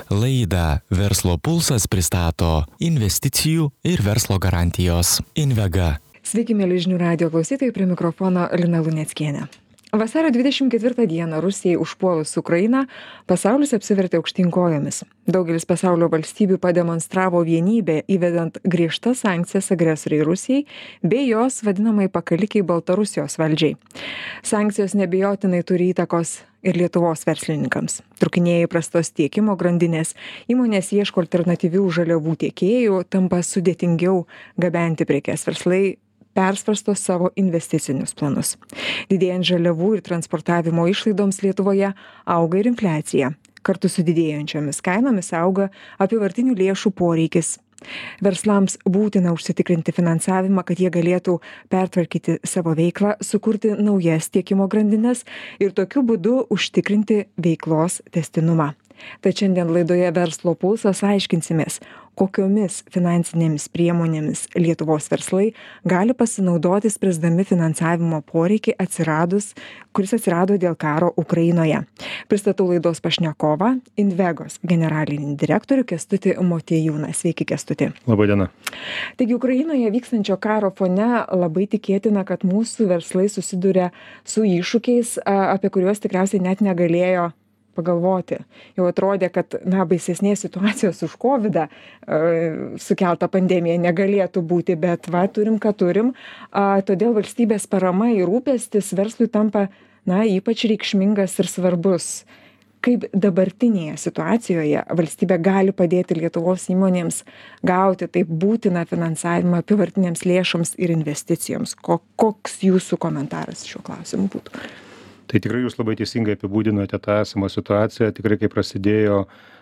Laidą Verslo pulsas pristato investicijų ir verslo garantijos Invega. Sveiki, mėly žinių radijo klausytojai, prie mikrofono Lina Luneckienė. Vasario 24 dieną Rusijai užpuolus Ukrainą pasaulis apsivertė aukštyn kojomis. Daugelis pasaulio valstybių pademonstravo vienybę, įvedant griežtas sankcijas agresoriai Rusijai bei jos vadinamai pakalikiai Baltarusijos valdžiai. Sankcijos neabejotinai turi įtakos ir Lietuvos verslininkams. Trukinėja prastos tiekimo grandinės, įmonės ieško alternatyvių žaliavų tiekėjų, tampa sudėtingiau gabenti prekes, verslai persvarsto savo investicinius planus. Didėjant žaliavų ir transportavimo išlaidoms Lietuvoje auga ir infliacija. Kartu su didėjančiomis kainomis auga apyvartinių lėšų poreikis. Verslams būtina užsitikrinti finansavimą, kad jie galėtų pertvarkyti savo veiklą, sukurti naujas tiekimo grandines ir tokiu būdu užtikrinti veiklos tęstinumą. Tad šiandien laidoje Verslo pulsas aiškinsimės, kokiomis finansinėmis priemonėmis Lietuvos verslai gali pasinaudoti spręsdami finansavimo poreikį kuris atsirado dėl karo Ukrainoje. Pristatau laidos pašnekovą, Invegos generalinį direktorių Kęstutį Motiejūną. Sveiki, Kęstuti. Labą dieną. Taigi Ukrainoje vykstančio karo fone labai tikėtina, kad mūsų verslai susiduria su iššūkiais, apie kuriuos tikriausiai net negalėjo pagalvoti. Jau atrodė, kad baisesnės situacijos už COVID sukeltą pandemiją negalėtų būti, bet turim, ką turim. Todėl valstybės parama ir rūpestis verslui tampa ypač reikšmingas ir svarbus. Kaip dabartinėje situacijoje valstybė gali padėti Lietuvos įmonėms gauti taip būtiną finansavimą apyvartinėms lėšoms ir investicijoms? Koks jūsų komentaras šiuo klausimu būtų? Tai tikrai jūs labai teisingai apibūdinote tą esamą situaciją. Tikrai, kai prasidėjo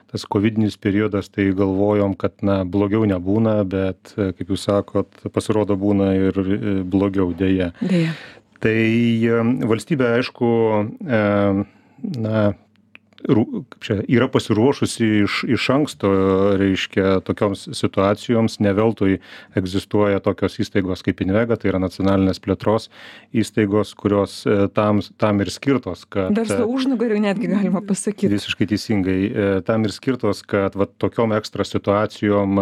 tas covidinis periodas, tai galvojom, kad blogiau nebūna, bet, kaip jūs sakot, pasirodo būna ir blogiau dėja. Tai valstybė, aišku, yra pasiruošusi iš anksto, reiškia, tokioms situacijoms. Ne veltui egzistuoja tokios įstaigos kaip Invega, tai yra nacionalinės plėtros įstaigos, kurios tam ir skirtos, kad... Verslo užnugariu netgi galima pasakyti. Visiškai teisingai. Tam ir skirtos, kad tokiom ekstra situacijom,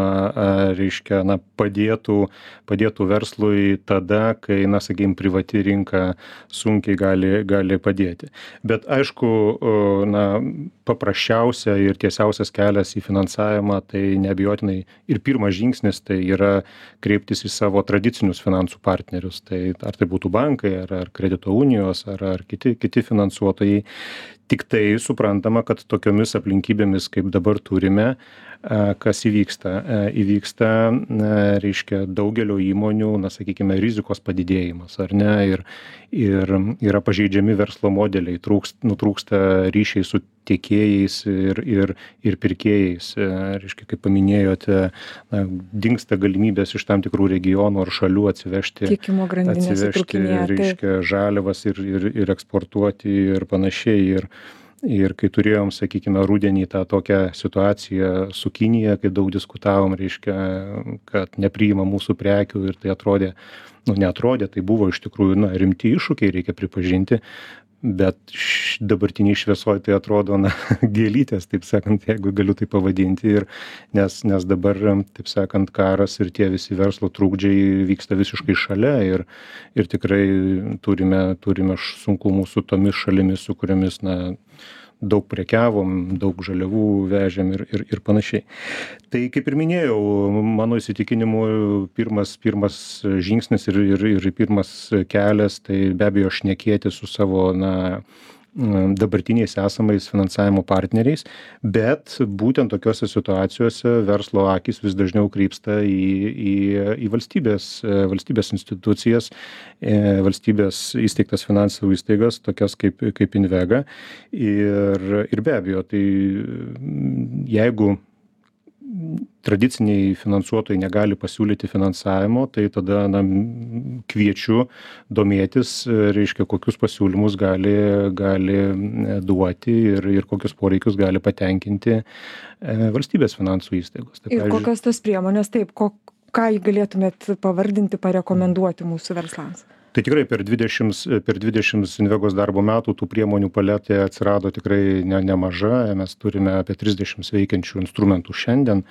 reiškia, padėtų verslui tada, kai, sakykime, privati rinka sunkiai gali padėti. Bet aišku, paprasčiausia ir tiesiausias kelias į finansavimą, tai neabejotinai ir pirmas žingsnis tai yra kreiptis į savo tradicinius finansų partnerius. Tai ar tai būtų bankai, ar kredito unijos, ar kiti finansuotojai. Tik tai suprantama, kad tokiomis aplinkybėmis, kaip dabar turime, kas įvyksta? Įvyksta, reiškia, daugelio įmonių, sakykime, rizikos padidėjimas, ar ne? Ir yra pažeidžiami verslo modeliai, nutrūksta ryšiai su tiekėjais ir pirkėjais. Reiškia, kaip paminėjote, dingsta galimybės iš tam tikrų regionų ar šalių atsivežti, reiškia, žaliavas ir eksportuoti ir panašiai. Ir kai turėjom, sakykime, rudenį tą tokią situaciją su Kinija, kai daug diskutavom, reiškia, kad nepriima mūsų prekių ir tai atrodė, neatrodė, tai buvo iš tikrųjų rimti iššūkiai, reikia pripažinti. Bet dabartiniai šviesoje tai atrodo gėlytės, taip sakant, jeigu galiu tai pavadinti. Nes dabar, taip sakant, karas ir tie visi verslo trukdžiai vyksta visiškai šalia ir tikrai turime sunkumų su tomis šalimis, su kuriomis daug prekiavom, daug žaliavų vežėm ir panašiai. Tai kaip ir minėjau, mano įsitikinimu pirmas žingsnis ir pirmas kelias, tai be abejo šnekėti su savo dabartiniais esamais finansavimo partneriais, bet būtent tokiose situacijose verslo akys vis dažniau krypsta į valstybės institucijas, valstybės įsteigtas finansų įstaigas, tokias kaip Invega. Ir be abejo, tai jeigu tradiciniai finansuotojai negali pasiūlyti finansavimo, tai tada kviečiu domėtis, reiškia, kokius pasiūlymus gali duoti ir kokius poreikius gali patenkinti valstybės finansų įstaigos. Tai, ir kokios tos priemonės, ką galėtumėt pavardinti, parekomenduoti mūsų verslams? Tai tikrai per 20 Invegos darbo metų tų priemonių paletė atsirado tikrai nemaža. Mes turime apie 30 veikiančių instrumentų šiandien.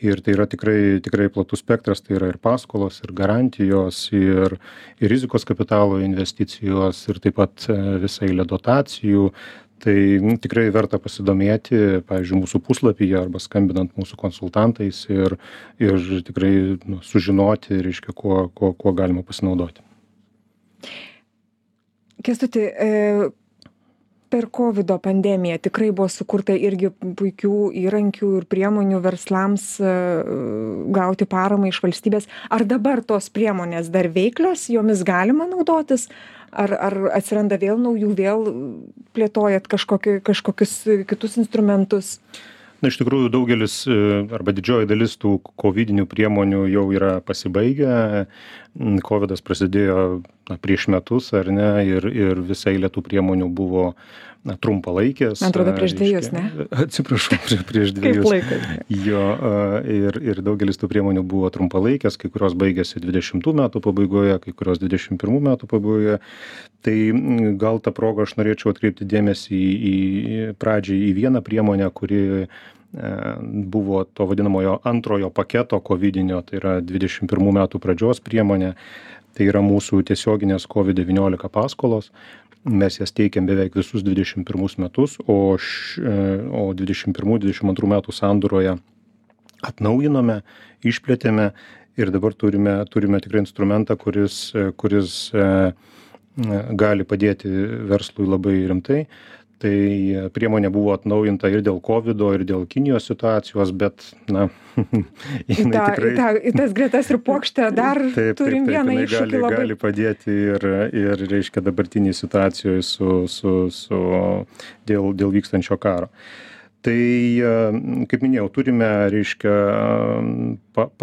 Ir tai yra tikrai platus spektras, tai yra ir paskolos, ir garantijos, ir rizikos kapitalo investicijos, ir taip pat visai eilė dotacijų. Tai tikrai verta pasidomėti, pavyzdžiui, mūsų puslapyje arba skambinant mūsų konsultantais ir tikrai sužinoti, reiškia, kuo galima pasinaudoti. Kęstuti, per COVID pandemiją tikrai buvo sukurta irgi puikių įrankių ir priemonių verslams gauti paramą iš valstybės. Ar dabar tos priemonės dar veiklios, jomis galima naudotis? Ar atsiranda vėl naujų, vėl plėtojat kažkokius kitus instrumentus? Na, iš tikrųjų, daugelis arba didžioji dalis tų covidinių priemonių jau yra pasibaigę. Covidas prasidėjo prieš metus, ar ne, ir visai eilė tų priemonių buvo trumpalaikės. Man atrodo, prieš 2, ne? Atsiprašau, prieš 2. Kaip laikas? Jo, ir daugelis tų priemonių buvo trumpalaikės, kai kurios baigėsi 20 metų pabaigoje, kai kurios 21 metų pabaigoje. Tai gal tą progą aš norėčiau atkreipti dėmesį pradžiai į vieną priemonę, kuri buvo to vadinamojo antrojo paketo covidinio, tai yra 21 metų pradžios priemonė. Tai yra mūsų tiesioginės COVID-19 paskolos. Mes jas teikiam beveik visus 21 metus, o 21-22 metų sandūroje atnaujinome, išplėtėme ir dabar turime tikrai instrumentą, kuris gali padėti verslui labai rimtai. Tai priemonė buvo atnaujinta ir dėl COVID-o, ir dėl Kinijos situacijos, bet, į tas gretas ir puokštę dar turim vieną iššūkį labai. Gali padėti ir reiškia, dabartinį situacijoje dėl vykstančio karo. Tai, kaip minėjau, turime, reiškia,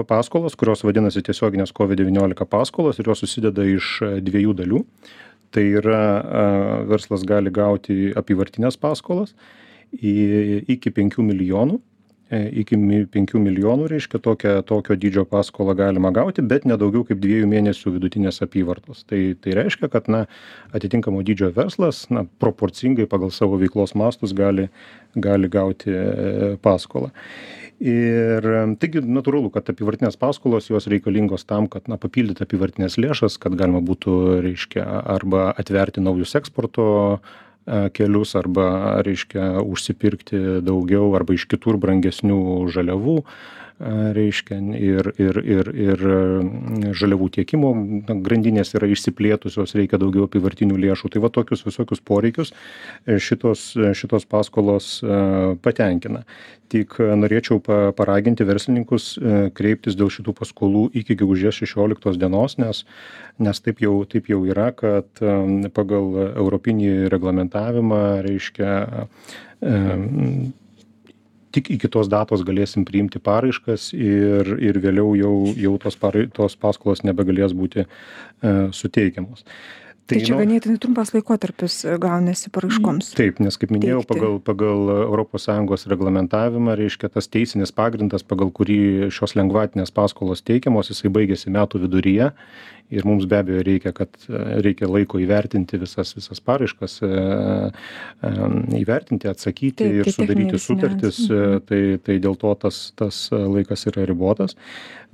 paskolos, kurios vadinasi tiesioginės COVID-19 paskolos, ir jos susideda iš 2 dalių. Tai yra, verslas gali gauti apyvartinės paskolas iki 5 milijonų. Iki 5 milijonų, reiškia, tokio dydžio paskolą galima gauti, bet nedaugiau kaip 2 mėnesių vidutinės apyvartos. Tai reiškia, kad atitinkamo dydžio verslas proporcingai pagal savo veiklos mastus gali gauti paskolą. Ir taigi natūralu, kad apyvartinės paskolos jos reikalingos tam, kad papildyti apyvartinės lėšas, kad galima būtų, reiškia, arba atverti naujus eksporto kelius, arba, reiškia, užsipirkti daugiau arba iš kitur brangesnių žaliavų, reiškia, ir žaliavų tiekimo grandinės yra išsiplėtusios, reikia daugiau apyvartinių lėšų. Tai va tokius visokius poreikius šitos paskolos patenkina. Tik norėčiau paraginti verslininkus kreiptis dėl šitų paskolų iki gegužės 16 dienos, nes taip jau yra, kad pagal europinį reglamentavimą, reiškia, tik iki tos datos galėsim priimti paraiškas ir vėliau jau tos paskolos nebegalės būti suteikiamos. Tai čia ganėtinai trumpas laikotarpis gaunasi paraiškoms. Taip, nes kaip minėjau, pagal ES reglamentavimą, reiškia, tas teisinis pagrindas, pagal kurį šios lengvatinės paskolos teikiamos, jisai baigėsi metų viduryje. Ir mums be abejo reikia laiko įvertinti visas paraiškas, įvertinti, atsakyti ir sudaryti sutartis. Tai dėl to tas laikas yra ribotas.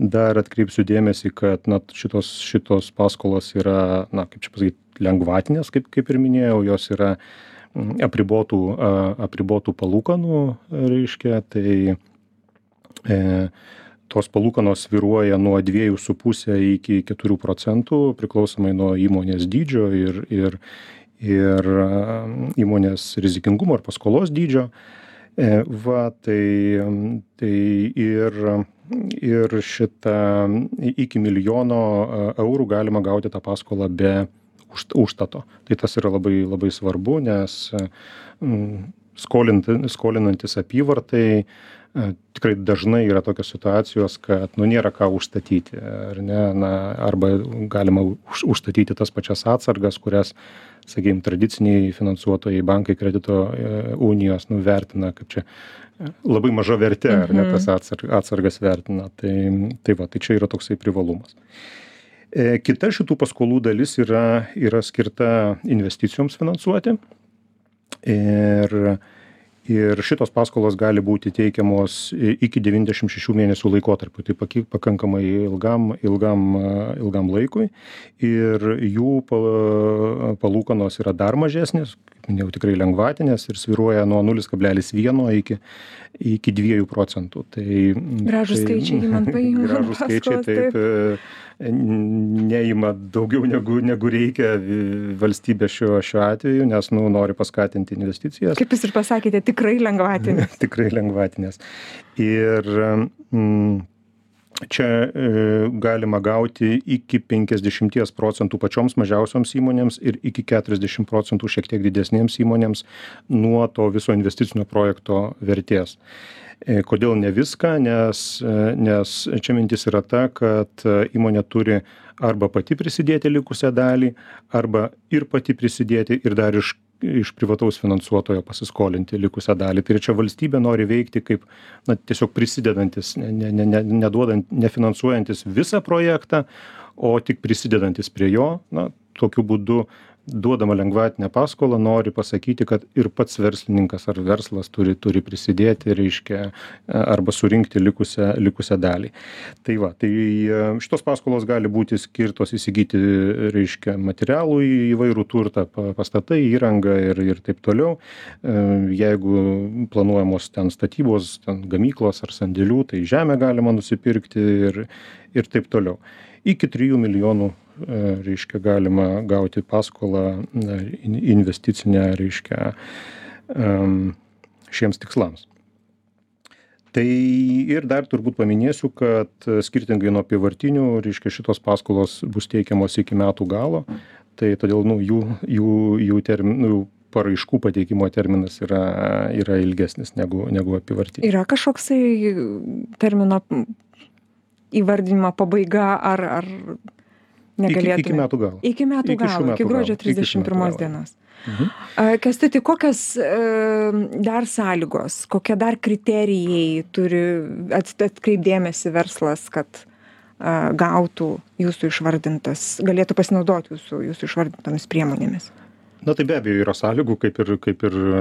Dar atkreipsiu dėmesį, kad šitos paskolos yra, kaip čia pasakyti, lengvatinės, kaip ir minėjau, jos yra apribotų palūkanų, reiškia, tai tos palūkanos svyruoja nuo 2,5 iki 4%, priklausomai nuo įmonės dydžio ir įmonės rizikingumo ar paskolos dydžio. Tai ir šitą iki 1 milijono eurų galima gauti tą paskolą be užstato. Tai tas yra labai, labai svarbu, nes skolinantis apyvartai tikrai dažnai yra tokios situacijos, kad nėra ką užstatyti, ar ne, arba galima užstatyti tas pačias atsargas, kurias, sakykime, tradiciniai finansuotojai, bankai, kredito unijos vertina, kaip čia labai maža vertė, ar ne, tas atsargas vertina. Tai čia yra toksai privalumas. Kita šitų paskolų dalis yra skirta investicijoms finansuoti. Ir šitos paskolos gali būti teikiamos iki 96 mėnesių laikotarpiu, tai pakankamai ilgam laikui. Ir jų palūkanos yra dar mažesnės, kaip minėjau, tikrai lengvatinės ir svyruoja nuo 0,1 iki 2%. Gražūs skaičiai, man paima. Gražūs skaičiai, taip. Neima daugiau negu reikia valstybė šiuo atveju, nes nori paskatinti investicijas. Kaip jūs ir pasakėte, tikrai lengvatinės. Tikrai lengvatinės. Ir čia galima gauti iki 50% pačioms mažiausioms įmonėms ir iki 40% šiek tiek didesnėms įmonėms nuo to viso investicinio projekto vertės. Kodėl ne viską? Nes čia mintis yra ta, kad įmonė turi arba pati prisidėti likusią dalį, arba ir pati prisidėti ir dar iš privataus finansuotojo pasiskolinti likusią dalį. Tai čia valstybė nori veikti kaip tiesiog prisidedantis, nefinansuojantis visą projektą, o tik prisidedantis prie jo. Tokiu būdu duodama lengvatinę paskolą nori pasakyti, kad ir pats verslininkas ar verslas turi prisidėti, reiškia, arba surinkti likusią dalį. Tai šitos paskolos gali būti skirtos įsigyti, reiškia, materialų įvairų turtą, pastatai, įrangą ir taip toliau. Jeigu planuojamos ten statybos, ten gamyklos ar sandėlių, tai žemę galima nusipirkti ir taip toliau. Iki 3 milijonų, reiškia, galima gauti paskolą investicinę, reiškia, šiems tikslams. Tai ir dar turbūt paminėsiu, kad skirtingai nuo apyvartinių, reiškia, šitos paskolos bus teikiamos iki metų galo, tai todėl jų paraiškų pateikimo terminas yra ilgesnis negu apyvartinių. Yra kažkoksai termino įvardinimo pabaiga ar negalėtume? Iki metų galo. Iki metų galo, iki gruodžio 31 dienos. Kęstuti, kokios dar sąlygos, kokie dar kriterijai turi atkreipdėmėsi verslas, kad gautų jūsų išvardintas, galėtų pasinaudoti jūsų išvardintomis priemonėmis? Tai be abejo yra sąlygų, kaip ir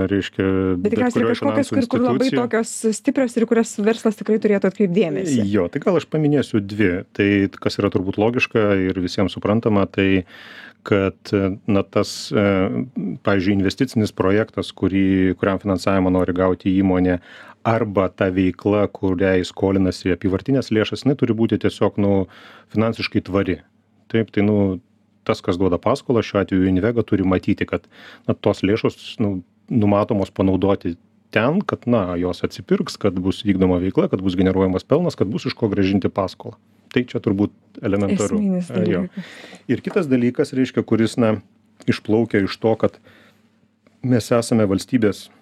reiškia, bet tikriausiai kažkokios, kur labai tokios stiprios ir kurias verslas tikrai turėtų atkreipdėmėsi. Jo, tai gal aš paminėsiu dvi. Tai kas yra turbūt logiška ir visiems suprantama, tai kad tas, pavyzdžiui, investicinis projektas, kuriam finansavimą nori gauti įmonė, arba ta veikla, kuriai skolinasi apyvartinės lėšas, turi būti tiesiog finansiškai tvari. Taip, tai tas, kas duoda paskolą, šiuo atveju Invega, turi matyti, kad tos lėšos numatomos panaudoti ten, kad jos atsipirks, kad bus vykdoma veikla, kad bus generuojamas pelnas, kad bus iš ko grąžinti paskolą. Tai čia turbūt elementaru. Ir kitas dalykas, reiškia, kuris išplaukia iš to, kad mes esame valstybės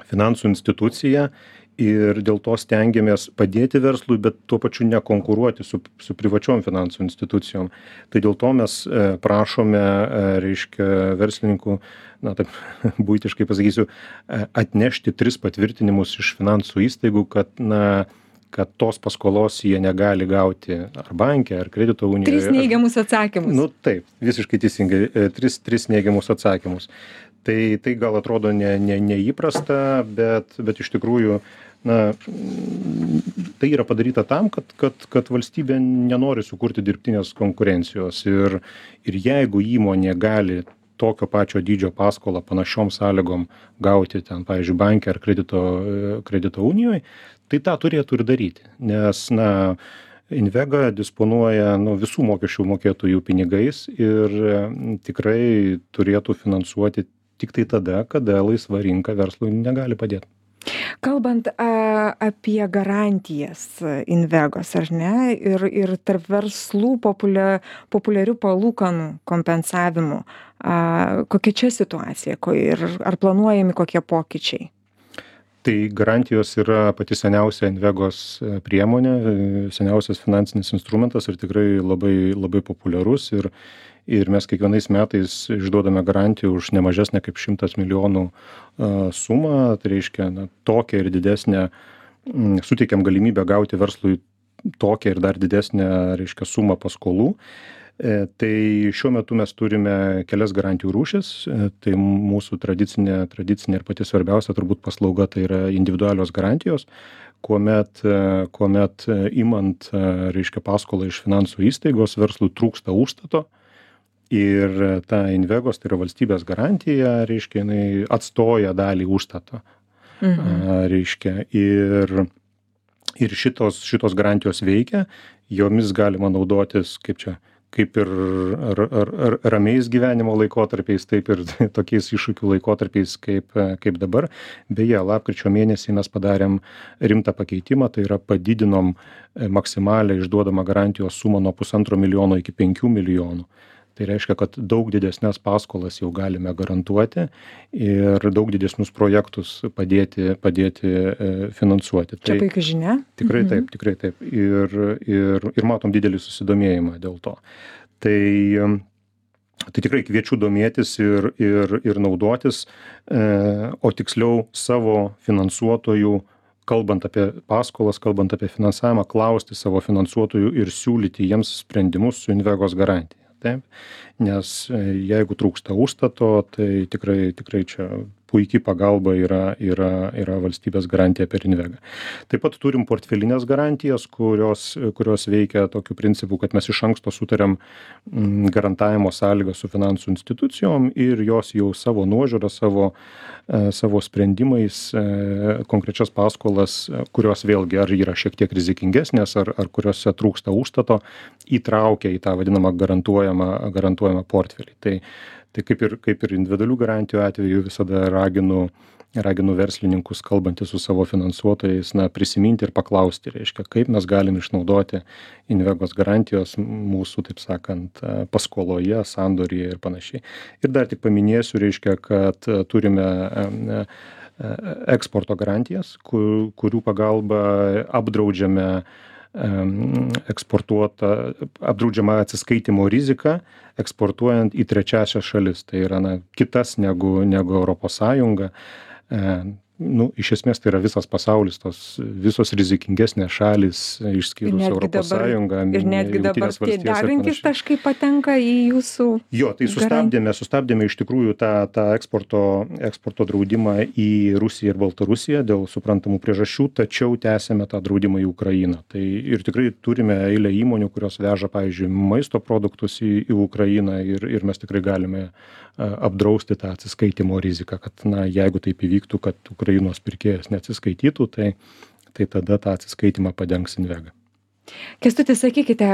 finansų institucija ir dėl to stengiamės padėti verslui, bet tuo pačiu nekonkuruoti su privačiom finansų institucijom. Tai dėl to mes prašome, reiškia, verslininkų, taip buitiškai pasakysiu, atnešti 3 patvirtinimus iš finansų įstaigų, kad tos paskolos jie negali gauti ar banke, ar kredito unijoje. 3 neigiamus atsakymus. Taip, visiškai teisingai, 3 neigiamus atsakymus. Tai gal atrodo neįprasta, bet iš tikrųjų tai yra padaryta tam, kad valstybė nenori sukurti dirbtinės konkurencijos. Ir jeigu įmonė gali tokio pačio dydžio paskolą panašiom sąlygom gauti ten, pavyzdžiui, banke ar kredito unijoje, tai tą turėtų ir daryti. Nes, Invega disponuoja visų mokesčių mokėtojų pinigais ir tikrai turėtų finansuoti tik tai tada, kada laisva rinka verslui negali padėti. Kalbant apie garantijas Invegos, ar ne, ir tarp verslų populiarių palūkanų kompensavimų, kokia čia situacija ir ar planuojami kokie pokyčiai? Tai garantijos yra pati seniausia Invegos priemonė, seniausias finansinis instrumentas ir tikrai labai, labai populiarus. Ir mes kiekvienais metais išduodame garantiją už nemažesnę kaip 100 milijonų sumą. Tai reiškia, tokią ir didesnę, suteikiam galimybę gauti verslui tokią ir dar didesnę, reiškia, sumą paskolų. Tai šiuo metu mes turime kelias garantijų rūšis. Tai mūsų tradicinė ir pati svarbiausia turbūt paslauga tai yra individualios garantijos, kuomet imant, reiškia, paskolą iš finansų įstaigos, verslui trūksta užstato ir ta Invegos, tai yra valstybės garantija, reiškia, jinai atstoja dalį užstato. Reiškia, ir šitos garantijos veikia, jomis galima naudotis, kaip ir ramiais gyvenimo laikotarpiais, taip ir tokiais iššūkių laikotarpiais kaip dabar. Beje, lapkričio mėnesį mes padarėm rimtą pakeitimą, tai yra padidinom maksimalią išduodamą garantijos sumą nuo 1,5 milijono iki 5 milijonų. Tai reiškia, kad daug didesnės paskolas jau galime garantuoti ir daug didesnius projektus padėti finansuoti. Čia puikia žinia. Tikrai taip. Ir matom didelį susidomėjimą dėl to. Tai tikrai kviečiu domėtis ir naudotis, o tiksliau savo finansuotojų, kalbant apie paskolas, kalbant apie finansavimą, klausti savo finansuotojų ir siūlyti jiems sprendimus su Invegos garantija. Taip, nes jeigu trūksta užstato, tai tikrai čia puikiai pagalba yra valstybės garantija per Invegą. Taip pat turim portfelinės garantijas, kurios veikia tokiu principu, kad mes iš anksto sutariam garantavimo sąlygą su finansų institucijom ir jos jau savo nuožiūrą, savo sprendimais konkrečias paskolas, kurios vėlgi ar yra šiek tiek rizikingesnės, ar kuriuose trūksta užstato, įtraukia į tą vadinamą garantuojamą portfelį. Tai kaip ir individualių garantijų atveju visada raginu verslininkus, kalbantys su savo finansuotojais, prisiminti ir paklausti, reiškia, kaip mes galim išnaudoti Invegos garantijos mūsų, taip sakant, paskoloje, sandoryje ir panašiai. Ir dar tik paminėsiu, reiškia, kad turime eksporto garantijas, kurių pagalba apdraudžiama atsiskaitimo rizika eksportuojant į trečiąsias šalis. Tai yra kitas negu Europos Sąjunga. Iš esmės tai yra visas pasaulis, tos visos rizikingesnės šalys, išskyrus Europos Sąjungą. Ir netgi dabar tie degantys taškai patenka į jūsų. Jo, tai sustabdėme iš tikrųjų tą eksporto draudimą į Rusiją ir Baltarusiją dėl suprantamų priežasčių, tačiau tęsėme tą draudimą į Ukrainą. Tai ir tikrai turime eilę įmonių, kurios veža, pavyzdžiui, maisto produktus į Ukrainą ir mes tikrai galime apdrausti tą atsiskaitimo riziką, kad jeigu taip įvyktų, kad Ukrainos pirkėjas neatsiskaitytų, tai tada tą atsiskaitimą padengs Invega. Kęstuti, sakykite,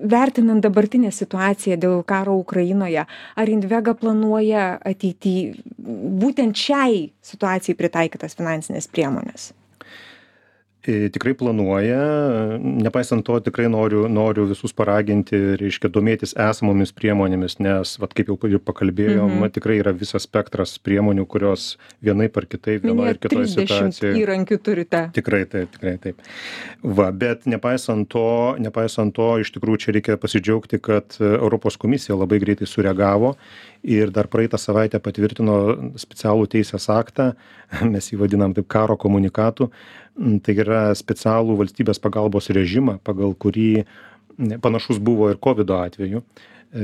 vertinant dabartinę situaciją dėl karo Ukrainoje, ar Invega planuoja ateityje būtent šiai situacijai pritaikytas finansinės priemonės? Tikrai planuoja, nepaisant to tikrai noriu visus paraginti, reiškia, domėtis esamomis priemonėmis, nes, kaip jau pakalbėjom, tikrai yra visas spektras priemonių, kurios vienaip ar kitaip, vienoje ir kitoje situacijoje. 30 įrankių turite. Tikrai taip. Bet nepaisant to, iš tikrųjų čia reikia pasidžiaugti, kad Europos komisija labai greitai sureagavo ir dar praeitą savaitę patvirtino specialų teisės aktą, mes jį vadinam taip karo komunikatų. Tai yra specialų valstybės pagalbos režimą, pagal kurį panašus buvo ir COVID atveju,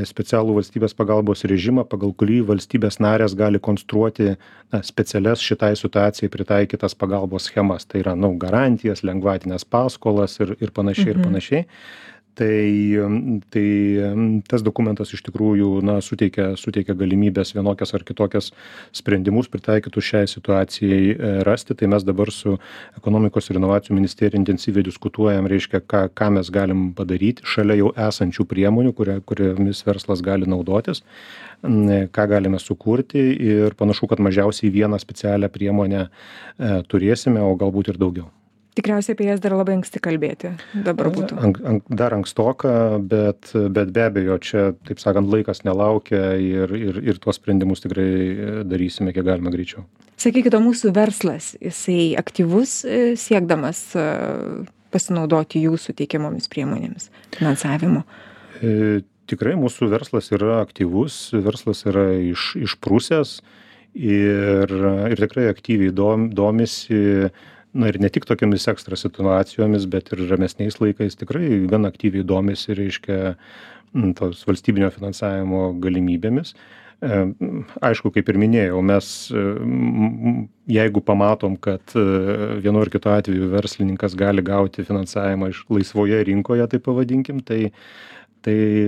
specialų valstybės pagalbos režimą, pagal kurį valstybės narės gali konstruoti specialias šitai situacijai pritaikytas pagalbos schemas. Tai yra garantijas, lengvatinės paskolas ir panašiai. Tai tas dokumentas iš tikrųjų suteikia galimybės vienokias ar kitokias sprendimus pritaikytų šiai situacijai rasti. Tai mes dabar su ekonomikos ir inovacijų ministerija intensyviai diskutuojam, reiškia, ką mes galim padaryti šalia jau esančių priemonių, kuriomis verslas gali naudotis, ką galime sukurti ir panašu, kad mažiausiai vieną specialią priemonę turėsime, o galbūt ir daugiau. Tikriausiai apie jas dar labai anksti kalbėti dabar būtų. Dar ankstoka, bet be abejo, čia, taip sakant, laikas nelaukia ir tuos sprendimus tikrai darysime kiek galima greičiau. Sakykite, mūsų verslas, jisai aktyvus siekdamas pasinaudoti jūsų teikiamomis priemonėmis finansavimo? Tikrai mūsų verslas yra aktyvus, verslas yra išprusęs ir tikrai aktyviai domisi na ir ne tik tokiamis ekstra situacijomis, bet ir ramesniais laikais tikrai gan aktyviai domisi, reiškia, tos valstybinio finansavimo galimybėmis. Aišku, kaip ir minėjau, mes, jeigu pamatom, kad vienu ar kitu atveju verslininkas gali gauti finansavimą iš laisvoje rinkoje, tai pavadinkim, tai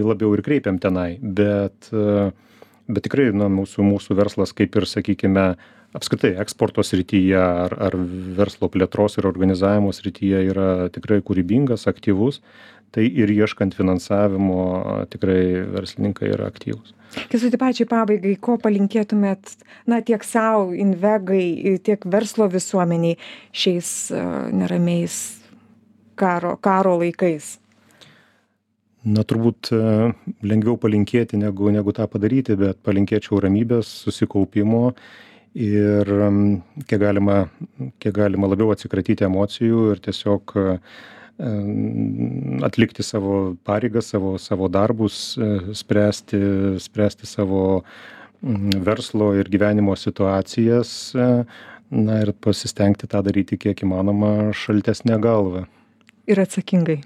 labiau ir kreipiam tenai. Bet tikrai, na, mūsų verslas, kaip ir, sakykime, apskritai eksporto srityje ar verslo plėtros ir organizavimo srityje yra tikrai kūrybingas, aktyvus. Tai ir ieškant finansavimo tikrai verslininkai yra aktyvūs. Kęstuti, pačiai pabaigai, ko palinkėtumėt, na, tiek savo, Invegai, tiek verslo visuomeniai šiais neramiais karo laikais? Na, turbūt lengviau palinkėti negu tą padaryti, bet palinkėčiau ramybės, susikaupimo ir kiek galima labiau atsikratyti emocijų ir tiesiog atlikti savo pareigas, savo darbus, spręsti savo verslo ir gyvenimo situacijas, na ir pasistengti tą daryti kiek įmanoma šaltesnę galvą. Ir atsakingai.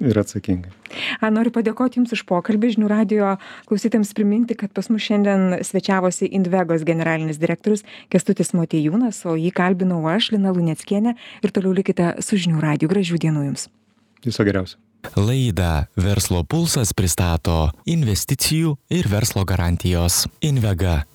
Noriu padėkoti Jums už pokalbį. Žinių radijo klausytėms priminti, kad pas mus šiandien svečiavosi Invegos generalinis direktorius Kęstutis Motiejūnas, o jį kalbinau aš, Lina Luneckienė, ir toliau likite su Žinių radiju. Gražių dienų Jums. Viso geriausio. Laidą Verslo pulsas pristato investicijų ir verslo garantijos Invega.